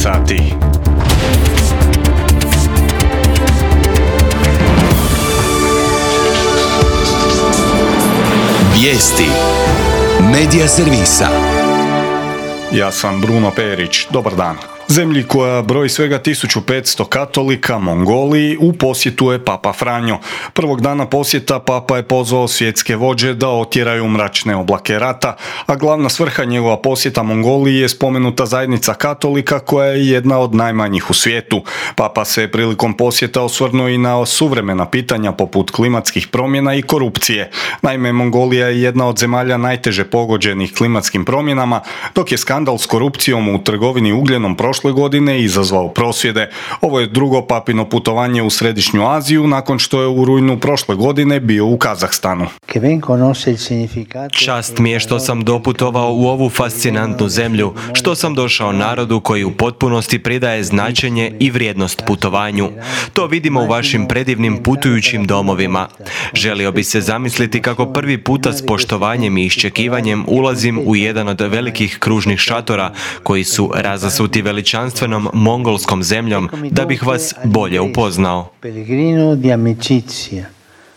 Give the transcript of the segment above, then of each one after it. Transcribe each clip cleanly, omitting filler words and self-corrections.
sati. Vijesti Medija servisa. Ja sam Bruno Perić. Dobar dan. Zemlji koja broji svega 1500 katolika, Mongoliji, u posjetu je Papa Franjo. Prvog dana posjeta Papa je pozvao svjetske vođe da otjeraju mračne oblake rata, a glavna svrha njegova posjeta Mongoliji je spomenuta zajednica katolika koja je jedna od najmanjih u svijetu. Papa se je prilikom posjeta osvrnuo i na suvremena pitanja poput klimatskih promjena i korupcije. Naime, Mongolija je jedna od zemalja najteže pogođenih klimatskim promjenama, dok je skandal s korupcijom u trgovini ugljenom prošle godine izazvao prosvjede. Ovo je drugo papino putovanje u Središnju Aziju nakon što je u rujnu prošle godine bio u Kazahstanu. Čast mi je što sam doputovao u ovu fascinantnu zemlju, što sam došao narodu koji u potpunosti pridaje značenje i vrijednost putovanju. To vidimo u vašim predivnim putujućim domovima. Želio bi se zamisliti kako prvi puta s poštovanjem i iščekivanjem ulazim u jedan od velikih kružnih šatora koji su razasuti veličanstvenom mongolskom zemljom da bih vas bolje upoznao.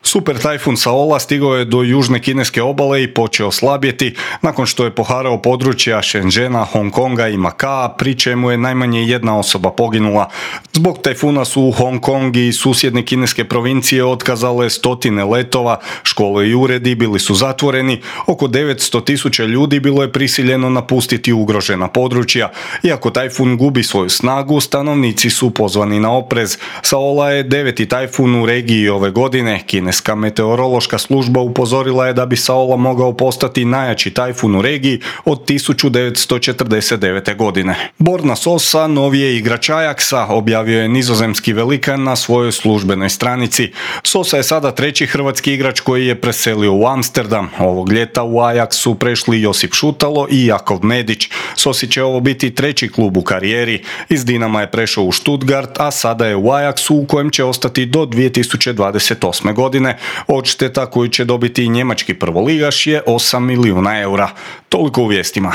Super tajfun Saola stigao je do južne kineske obale i počeo slabjeti nakon što je poharao područja Shenzhena, Hong Konga i Makaa, pri čemu je najmanje jedna osoba poginula. Zbog tajfuna su Hong Kong i susjedne kineske provincije otkazale stotine letova, škole i uredi bili su zatvoreni, oko 900.000 ljudi bilo je prisiljeno napustiti ugrožena područja. Iako tajfun gubi svoju snagu, stanovnici su pozvani na oprez. Saola je 9. tajfun u regiji ove godine. Kineska meteorološka služba upozorila je da bi Saola mogao postati najjači tajfun u regiji od 1949. godine. Borna Sosa, novije igrač Ajaxa, objavio je nizozemski velikan na svojoj službenoj stranici. Sosa je sada treći hrvatski igrač koji je preselio u Amsterdam. Ovog ljeta u Ajax su prešli Josip Šutalo i Jakov Medić. Sosi će ovo biti treći klub u karijeri. Iz Dinama je prešao u Stuttgart, a sada je u Ajaxu u kojem će ostati do 2028. godine. Odšteta koju će dobiti njemački prvoligaš je 8 milijuna eura. Toliko u vijestima.